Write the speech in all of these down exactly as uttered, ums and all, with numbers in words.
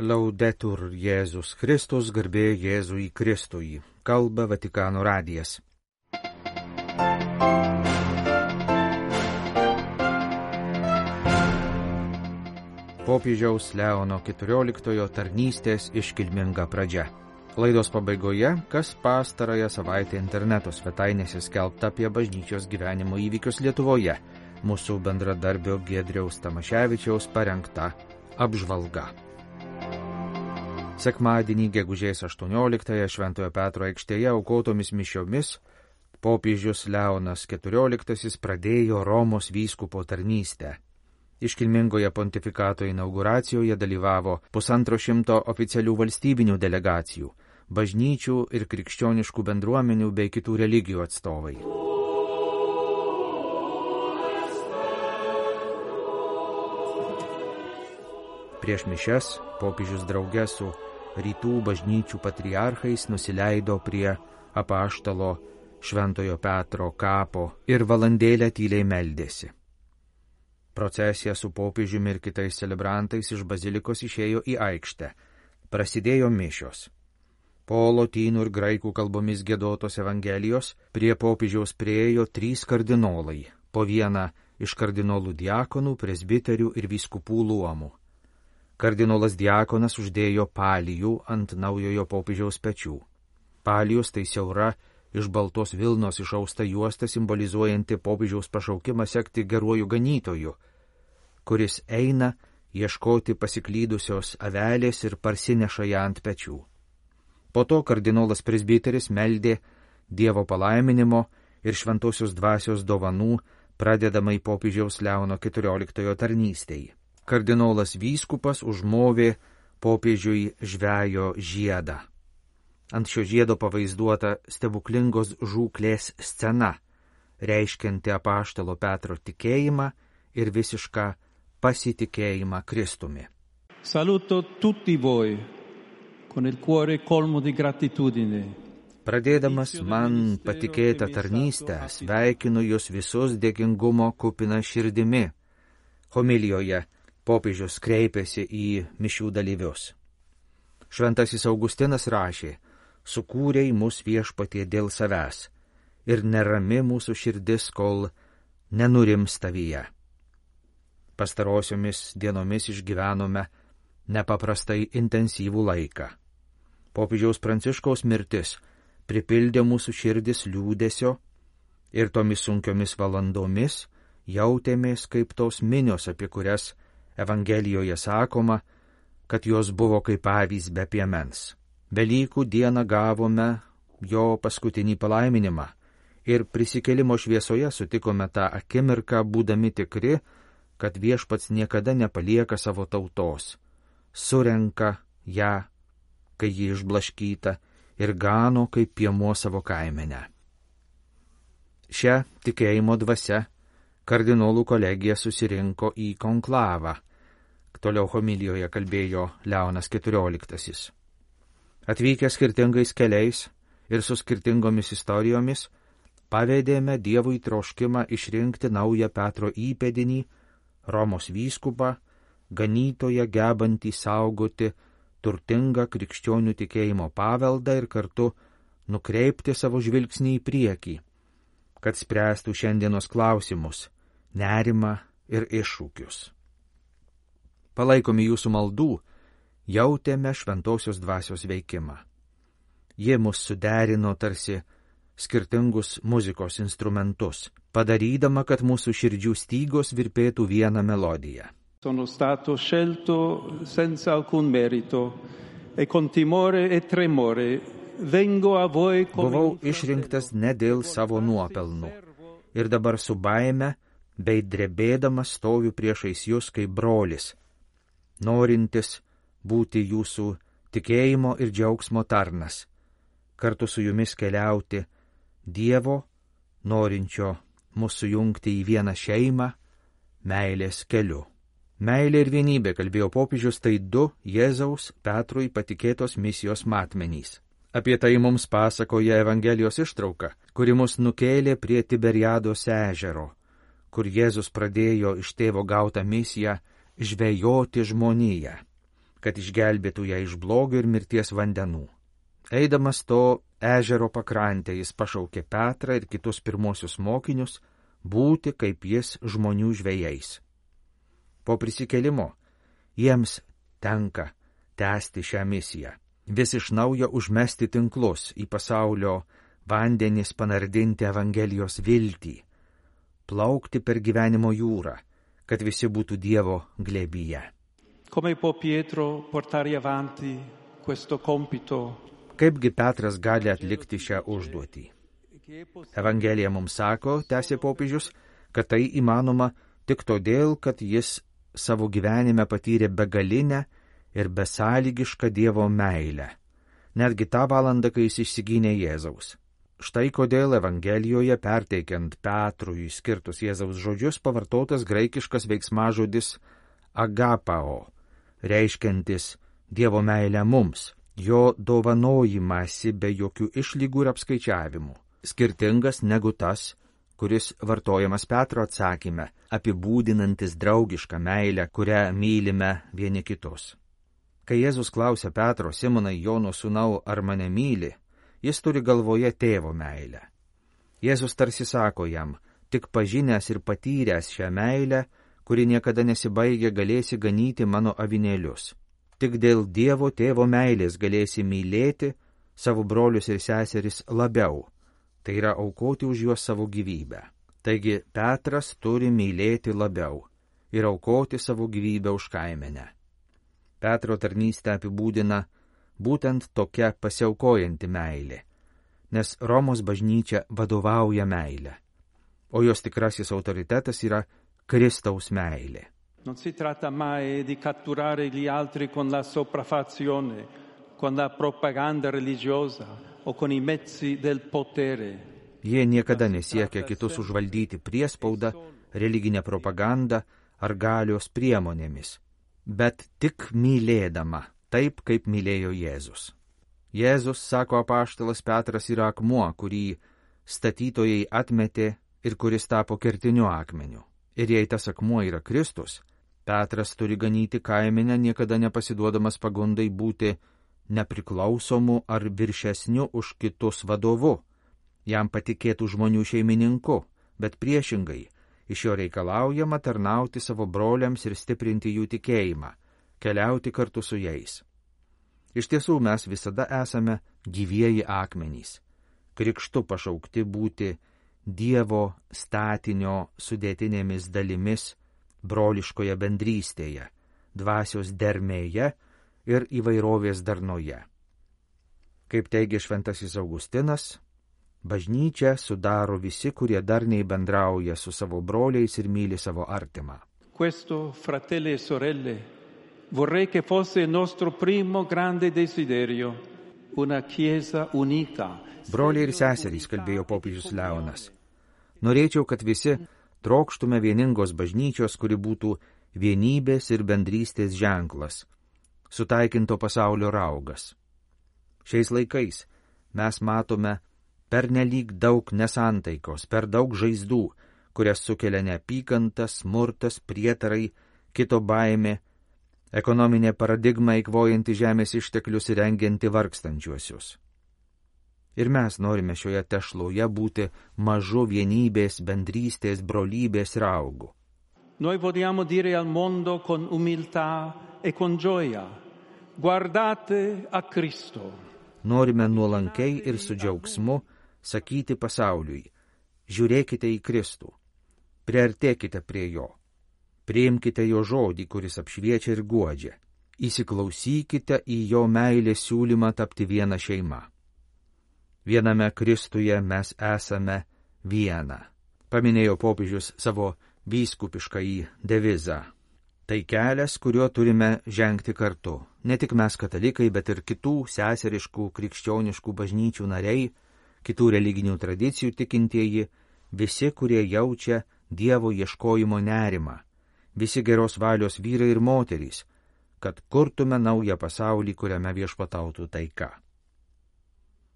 Laudetur Jėzus Kristus, garbė Jėzui Kristui. Kalba Vatikano radijas. Popiežiaus Leono keturioliktojo tarnystės iškilminga pradžia. Laidos pabaigoje, kas pastarąją savaitę interneto svetainėse skelbta apie bažnyčios gyvenimo įvykius Lietuvoje, mūsų bendradarbio Giedriaus Tamaševičiaus parengta apžvalga. Sekmadienį gegužės aštuonioliktąją Šventojo Petro aikštėje aukotomis mišiomis popiežius Leonas keturioliktasis pradėjo Romos vyskupo tarnystę. Iškilmingoje pontifikato inauguracijoje dalyvavo pusantro šimto oficialių valstybinių delegacijų, bažnyčių ir krikščioniškų bendruomenių bei kitų religijų atstovai. Prieš mišias popiežius drauge su rytų bažnyčių patriarchais nusileido prie apaštalo Šventojo Petro kapo ir valandėlę tyliai meldėsi. Procesija su popiežiumi ir kitais celebrantais iš bazilikos išėjo į aikštę. Prasidėjo mišios. Po lotynų ir graikų kalbomis giedotos evangelijos prie popiežiaus priėjo trys kardinolai, po vieną iš kardinolų diakonų, presbiterių ir vyskupų luomų. Kardinolas diakonas uždėjo palijų ant naujojo popiežiaus pečių. Palijus tai siaura iš baltos vilnos išausta juosta simbolizuojanti popiežiaus pašaukimą sekti geruoju ganytoju, kuris eina ieškoti pasiklydusios avelės ir parsineša ją ant pečių. Po to kardinolas presbiteris meldė Dievo palaiminimo ir šventosios dvasios dovanų pradedamai popiežiaus Leono keturioliktojo tarnystei. Kardinolas vyskupas užmovė popiežiui žvejo žiedą. Ant šio žiedo pavaizduota stebuklingos žūklės scena, reiškianti apaštalo Petro tikėjimą ir visišką pasitikėjimą Kristumi. Saluto tutti voi con il cuore colmo di gratitudine. Pradėdamas man patikėtą tarnystę, sveikinu jūs visus dėkingumo kupina širdimi. Homilijoje popiežius kreipėsi į mišių dalyvius. Šventasis Augustinas rašė: sukūrei mus viešpatie dėl savęs ir nerami mūsų širdis, kol nenurims tavyje. Pastarosiomis dienomis išgyvenome nepaprastai intensyvų laiką. Popiežiaus Pranciškaus mirtis pripildė mūsų širdis liūdesio ir tomis sunkiomis valandomis jautėmės kaip tos minios, apie kurias Evangelijoje sakoma, kad jos buvo kaip avys be piemens. Velykų dieną gavome jo paskutinį palaiminimą ir prisikėlimo šviesoje sutikome tą akimirką, būdami tikri, kad viešpats niekada nepalieka savo tautos, surenka ją, kai ji išblaškyta, ir gano kaip piemuo savo kaimenę. Šią tikėjimo dvasia kardinolų kolegija susirinko į konklavą, toliau homilijoje kalbėjo Leonas keturioliktasis. Atvykę skirtingais keliais ir su skirtingomis istorijomis, pavedėme Dievui troškimą išrinkti naują Petro įpėdinį, Romos vyskupą, ganytoją gebantį saugoti turtingą krikščionių tikėjimo paveldą ir kartu nukreipti savo žvilgsnį į priekį, kad spręstų šiandienos klausimus, nerimą ir iššūkius. Palaikomi jūsų maldų, jautėme šventosios dvasios veikimą. Ji mus suderino tarsi skirtingus muzikos instrumentus, padarydama, kad mūsų širdžių stygos virpėtų vieną melodiją. Sono stato scelto senza alcun merito e con timore e tremore vengo a voi come... Buvau išrinktas ne dėl savo nuopelnų ir dabar su baime bei drebėdamas stoviu priešais jūs kaip brolis, norintis būti jūsų tikėjimo ir džiaugsmo tarnas, kartu su jumis keliauti Dievo, norinčio mus sujungti į vieną šeimą, meilės keliu. Meilė ir vienybė, kalbėjo popiežius, tai du Jėzaus Petrui patikėtos misijos matmenys. Apie tai mums pasakoja Evangelijos ištrauka, kuri mus nukėlė prie Tiberiados ežero, kur Jėzus pradėjo iš tėvo gautą misiją žvejoti žmoniją. kad išgelbėtų ją iš blogio ir mirties vandenų. Eidamas to ežero pakrantę jis pašaukė Petrą ir kitus pirmosius mokinius būti kaip jis žmonių žvejais. Po prisikėlimo jiems tenka tęsti šią misiją, vis iš naujo užmesti tinklus į pasaulio vandenis, panardinti Evangelijos viltį, plaukti per gyvenimo jūrą, kad visi būtų Dievo glėbyje. Come può Pietro portare avanti questo compito? Kaipgi Petras gali atlikti šią užduotį? Evangelija mums sako, tęsė popiežius, kad tai įmanoma tik todėl, kad jis savo gyvenime patyrė begalinę ir besąlygišką Dievo meilę, netgi tą valandą, kai jis išsigynė Jėzaus. Štai kodėl Evangelijoje, perteikiant Petrui skirtus Jėzaus žodžius, pavartotas graikiškas veiksmažodis agapao, reiškiantis Dievo meilę mums, jo dovanojimąsi be jokių išlygų ir apskaičiavimų, skirtingas negu tas, kuris vartojamas Petro atsakyme, apibūdinantis draugišką meilę, kurią mylime vieni kitus. Kai Jėzus klausia Petro, Simonai, Jono sūnau, ar mane myli, jis turi galvoje tėvo meilę. Jėzus tarsi sako jam, tik pažinęs ir patyręs šią meilę, kuri niekada nesibaigia, galėsi ganyti mano avinėlius. Tik dėl Dievo tėvo meilės galėsi mylėti savo brolius ir seseris labiau, tai yra aukoti už juos savo gyvybę. Taigi Petras turi mylėti labiau ir aukoti savo gyvybę už kaimenę. Petro tarnystę apibūdina būtent tokia pasiaukojanti meilė, nes Romos bažnyčia vadovauja meilę, o jos tikrasis autoritetas yra Kristaus meilė. Non si tratta mai di catturare gli altri con la sopraffazione, con la propaganda religiosa o con i mezzi del potere. Jie niekada nesiekia kitus užvaldyti priespaudą, religinę propagandą ar galios priemonėmis, bet tik mylėdama, taip kaip mylėjo Jėzus. Jėzus, sako apaštalas Petras, yra akmuo, kurį statytojai atmetė ir kuris tapo kertiniu akmeniu. Ir jei tas akmuo yra Kristus, Petras turi ganyti kaimenę, niekada nepasiduodamas pagundai būti nepriklausomu ar viršesniu už kitus vadovu, jam patikėtų žmonių šeimininku, bet priešingai, iš jo reikalaujama tarnauti savo broliams ir stiprinti jų tikėjimą, keliauti kartu su jais. Iš tiesų mes visada esame gyvieji akmenys, krikštu pašaukti būti Dievo statinio sudėtinėmis dalimis broliškoje bendrystėje, dvasios dermėje ir įvairovės darnoje. Kaip teigia šventasis Augustinas, bažnyčią sudaro visi, kurie darniai bendrauja su savo broliais ir myli savo artimą. Questo, fratelli e sorelle, vorrei che fosse il nostro primo grande desiderio, una chiesa unita. Broliai ir seserys, kalbėjo popiežius Leonas. Norėčiau, kad visi trokštume vieningos bažnyčios, kuri būtų vienybės ir bendrystės ženklas, sutaikinto pasaulio raugas. Šiais laikais mes matome pernelyg daug nesantaikos, per daug žaizdų, kurias sukelia neapykanta, smurtas, prietarai, kito baimė, ekonominė paradigma eikvojanti žemės išteklius ir rengianti vargstančiuosius. Ir mes norime šioje tešloje būti mažu vienybės, bendrystės, brolybės raugu. Noi vogliamo dire al mondo con umiltà e con gioia, guardate a Cristo. Norime nuolankiai ir su džiaugsmu sakyti pasauliui, žiūrėkite į Kristų, priartėkite prie jo, priimkite jo žodį, kuris apšviečia ir guodžia, įsiklausykite į jo meilės siūlymą tapti viena šeima. Viename Kristuje mes esame viena, paminėjo popiežius savo vyskupiškąjį devizą. Tai kelias, kuriuo turime žengti kartu, ne tik mes katalikai, bet ir kitų seseriškų krikščioniškų bažnyčių nariai, kitų religinių tradicijų tikintieji, visi, kurie jaučia Dievo ieškojimo nerimą, visi geros valios vyrai ir moterys, kad kurtume naują pasaulį, kuriame viešpatautų taika.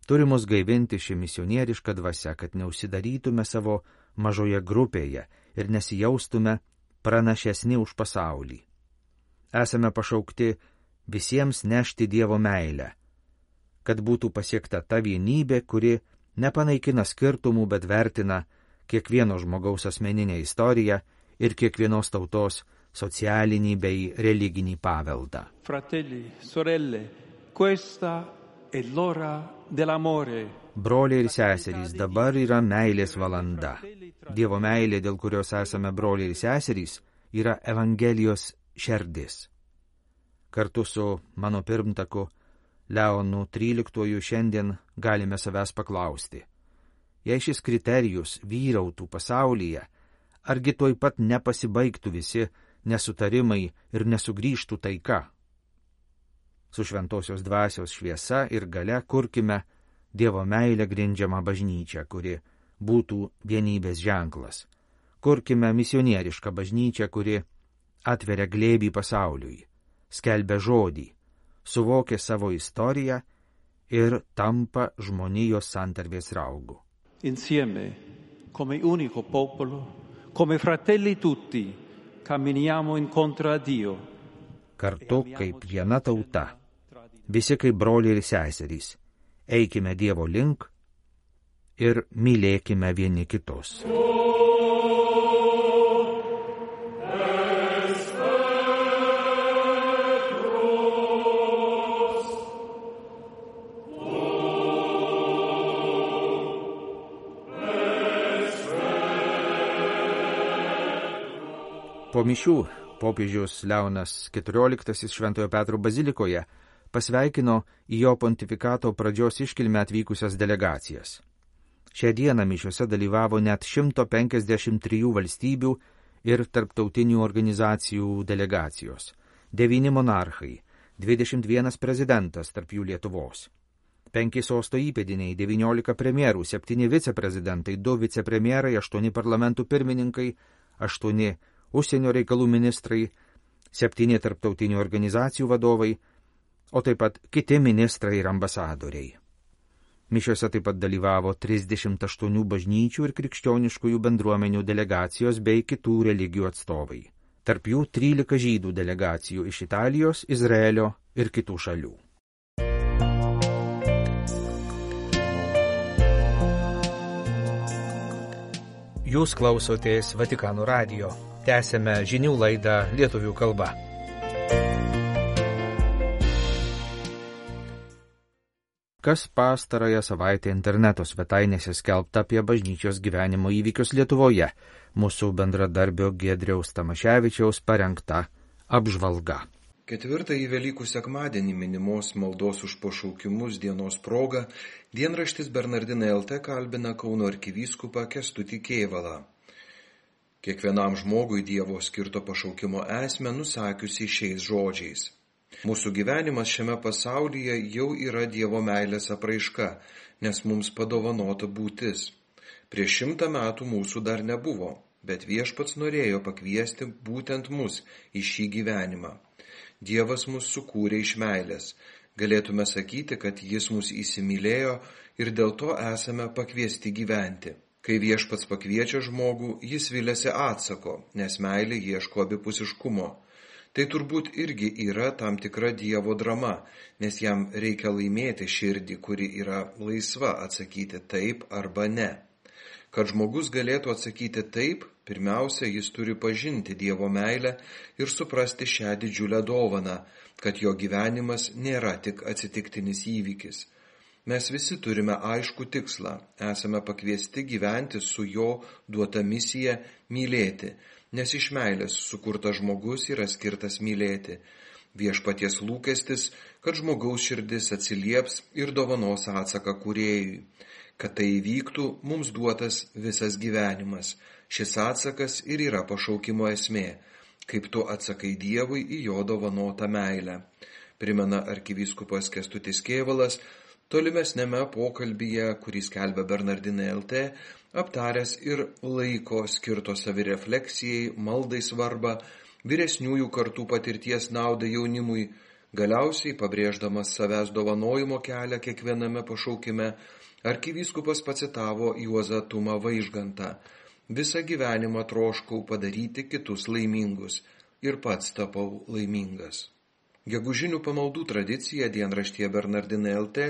Turi mus gaivinti ši misionieriška dvasia, kad neužsidarytume savo mažoje grupėje ir nesijaustume pranašesni už pasaulį. Esame pašaukti visiems nešti Dievo meilę, kad būtų pasiekta ta vienybė, kuri nepanaikina skirtumų, bet vertina kiekvieno žmogaus asmeninę istoriją ir kiekvienos tautos socialinį bei religinį paveldą. Fratelli, sorelle, questa è l'ora dell'amore. Broliai ir seserys, dabar yra meilės valanda. Dievo meilė, dėl kurios esame broliai ir seserys, yra Evangelijos šerdis. Kartu su mano pirmtaku Leonu tryliktuoju šiandien galime savęs paklausti. Jei šis kriterijus vyrautų pasaulyje, argi tuoj pat nepasibaigtų visi nesutarimai ir nesugrįžtų taika? Su šventosios dvasios šviesa ir galia kurkime Dievo meilę grindžiamą bažnyčią, kuri būtų vienybės ženklas. Kurkime misionierišką bažnyčią, kuri atveria glėbį pasauliui, skelbia žodį, suvokia savo istoriją ir tampa žmonijos santarvės raugu. Insieme, come unico popolo, come fratelli tutti, camminiamo incontro a Dio. Kartu kaip viena tauta, visi kaip broliai ir seserys, eikime Dievo link ir mylėkime vieni kitus. Po mišių popiežius Leonas keturioliktasis Šventojo Petro bazilikoje pasveikino į jo pontifikato pradžios iškilmę atvykusias delegacijas. Šią dieną mišiuose dalyvavo net šimtas penkiasdešimt trijų valstybių ir tarptautinių organizacijų delegacijos, devyni monarchai, dvidešimt vienas prezidentas, tarp jų Lietuvos, penki sosto įpėdiniai, devyniolika premjerų, septyni viceprezidentai, du vicepremjerai, aštuoni parlamentų pirmininkai, aštuoni užsienio reikalų ministrai, septyni tarptautinių organizacijų vadovai, o taip pat kiti ministrai ir ambasadoriai. Mišiuose taip pat dalyvavo trisdešimt aštuonių bažnyčių ir krikščioniškųjų bendruomenių delegacijos bei kitų religijų atstovai. Tarp jų trylika žydų delegacijų iš Italijos, Izraelio ir kitų šalių. Jūs klausotės Vatikano radijo. Tęsėme žinių laidą lietuvių kalba. Kas pastarąją savaitę interneto svetainėse skelbta apie bažnyčios gyvenimo įvykius Lietuvoje, mūsų bendradarbio Giedriaus Tamaševičiaus parengta apžvalga. Ketvirtąjį Velykų sekmadienį minimos maldos už pašaukimus dienos proga dienraštis Bernardinai L T kalbina Kauno arkivyskupą Kęstutį Kėvalą. Kiekvienam žmogui Dievo skirto pašaukimo esmę nusakiusi šiais žodžiais. Mūsų gyvenimas šiame pasaulyje jau yra Dievo meilės apraiška, nes mums padovanota būtis. Prieš šimtą metų mūsų dar nebuvo, bet Viešpats norėjo pakviesti būtent mus į šį gyvenimą. Dievas mus sukūrė iš meilės. Galėtume sakyti, kad Jis mus įsimylėjo ir dėl to esame pakviesti gyventi. Kai Viešpats pakviečia žmogų, Jis viliasi atsako, nes meilė ieško abipusiškumo. Tai turbūt irgi yra tam tikra Dievo drama, nes jam reikia laimėti širdį, kuri yra laisva atsakyti taip arba ne. Kad žmogus galėtų atsakyti taip, pirmiausia, jis turi pažinti Dievo meilę ir suprasti šią didžiulę dovaną, kad jo gyvenimas nėra tik atsitiktinis įvykis. Mes visi turime aiškų tikslą, esame pakviesti gyventi su jo duota misija mylėti, nes iš meilės sukurtas žmogus yra skirtas mylėti. Viešpaties lūkestis, kad žmogaus širdis atsilieps ir dovanos atsaką kūrėjui. Kad tai įvyktų, mums duotas visas gyvenimas. Šis atsakas ir yra pašaukimo esmė, kaip tu atsakai Dievui į jo dovanotą meilę. Primena arkivyskupas Kęstutis Kėvalas, tolimesnėme pokalbyje, kurį skelbia Bernardinai L T, aptaręs ir laiko skirto savirefleksijai, maldai svarbą, vyresniųjų kartų patirties naudą jaunimui, galiausiai pabrėždamas savęs dovanojimo kelią kiekviename pašaukime, arkivyskupas pacitavo Juozą Tumą Vaižgantą. Visą gyvenimą troškau padaryti kitus laimingus ir pats tapau laimingas. Gegužinių pamaldų tradiciją dienraštyje Bernardinai L T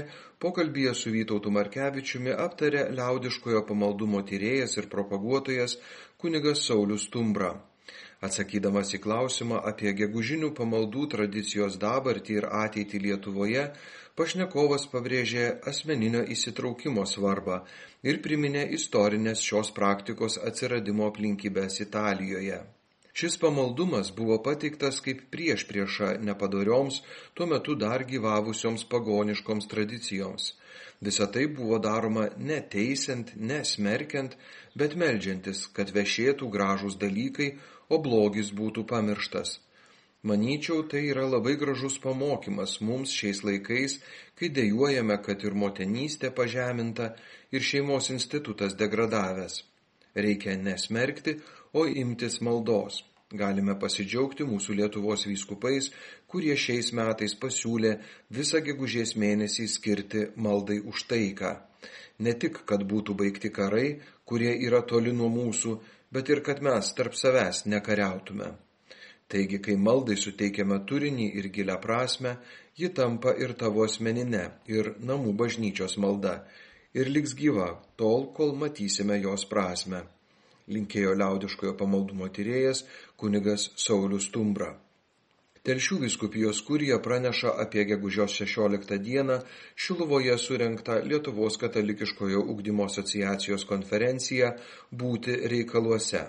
pokalbyje su Vytautu Markevičiumi aptarė liaudiškojo pamaldumo tyrėjas ir propaguotojas kunigas Saulius Stumbra. Atsakydamas į klausimą apie gegužinių pamaldų tradicijos dabartį ir ateitį Lietuvoje, pašnekovas pabrėžė asmeninio įsitraukimo svarbą ir priminė istorinės šios praktikos atsiradimo aplinkybės Italijoje. Šis pamaldumas buvo pateiktas kaip priešprieša nepadorioms, tuo metu dar gyvavusioms pagoniškoms tradicijoms. Visa tai buvo daroma ne teisiant, ne smerkiant, bet meldžiantis, kad vešėtų gražūs dalykai, o blogis būtų pamirštas. Manyčiau, tai yra labai gražus pamokymas mums šiais laikais, kai dejuojame, kad ir motinystė pažeminta, ir šeimos institutas degradavęs. Reikia nesmerkti, o imtis maldos. Galime pasidžiaugti mūsų Lietuvos vyskupais, kurie šiais metais pasiūlė visą gegužės mėnesį skirti maldai už taiką. Ne tik, kad būtų baigti karai, kurie yra toli nuo mūsų, bet ir kad mes tarp savęs nekariautume. Taigi, kai maldai suteikiame turinį ir gilią prasme, ji tampa ir tavo asmeninė, ir namų bažnyčios malda, ir liks gyva tol, kol matysime jos prasme. Linkėjo liaudiškojo pamaldumo tyrėjas kunigas Saulius Stumbra. Telšių vyskupijos kurija praneša apie gegužės šešioliktą dieną Šiluvoje surengtą Lietuvos katalikiškojo ugdymo asociacijos konferenciją Būti reikaluose.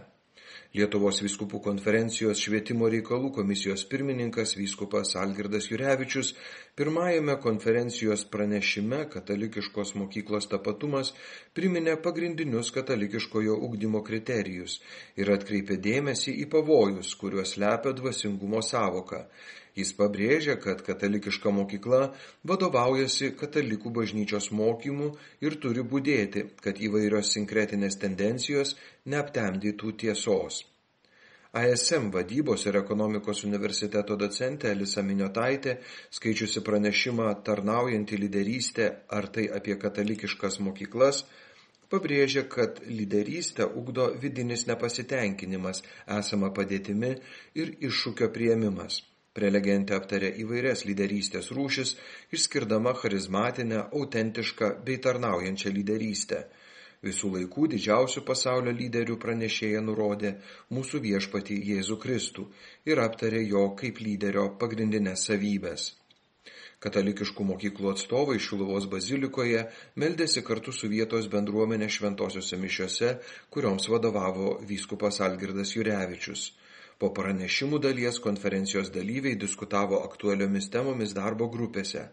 Lietuvos vyskupų konferencijos švietimo reikalų komisijos pirmininkas vyskupas Algirdas Jurevičius pirmajame konferencijos pranešime Katalikiškos mokyklos tapatumas priminė pagrindinius katalikiškojo ugdymo kriterijus ir atkreipė dėmesį į pavojus, kuriuos slepia dvasingumo sąvoka. Jis pabrėžia, kad katalikiška mokykla vadovaujasi katalikų bažnyčios mokymu ir turi budėti, kad įvairios sinkretinės tendencijos neaptemdytų tiesos. A S M vadybos ir ekonomikos universiteto docentė Elisa Miniotaitė, skaičiusi pranešimą Tarnaujanti lyderystė, ar tai apie katalikiškas mokyklas, pabrėžia, kad lyderystę ugdo vidinis nepasitenkinimas, esama padėtimi ir iššūkio priėmimas. Prelegentė aptarė įvairias lyderystės rūšis, išskirdama charizmatinę, autentišką bei tarnaujančią lyderystę. Visų laikų didžiausių pasaulio lyderių pranešėja nurodė mūsų viešpatį Jėzų Kristų ir aptarė jo kaip lyderio pagrindinės savybės. Katalikiškų mokyklų atstovai Šiluvos bazilikoje meldėsi kartu su vietos bendruomenė šventosiuose mišiose, kurioms vadovavo vyskupas Algirdas Jurevičius. Po pranešimų dalies konferencijos dalyviai diskutavo aktualiomis temomis darbo grupėse.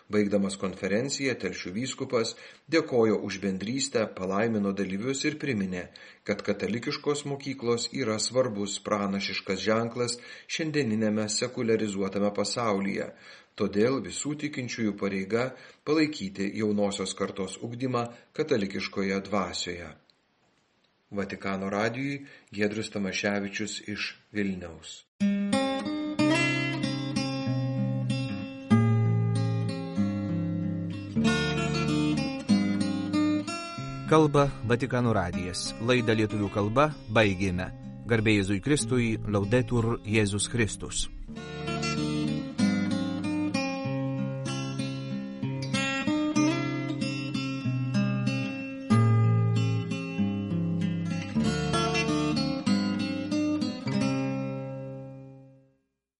Baigdamas konferenciją, Telšių vyskupas dėkojo už bendrystę, palaimino dalyvius ir priminė, kad katalikiškos mokyklos yra svarbus pranašiškas ženklas šiandieninėme sekuliarizuotame pasaulyje. Todėl visų tikinčiųjų pareiga palaikyti jaunosios kartos ugdymą katalikiškoje dvasioje. Vatikano radijui Giedrius Tamaševičius iš Vilniaus. Kalba Vatikano radijas. Laidą lietuvių kalba baigėme. Garbė Jėzui Kristui, Laudetur Jėzus Kristus.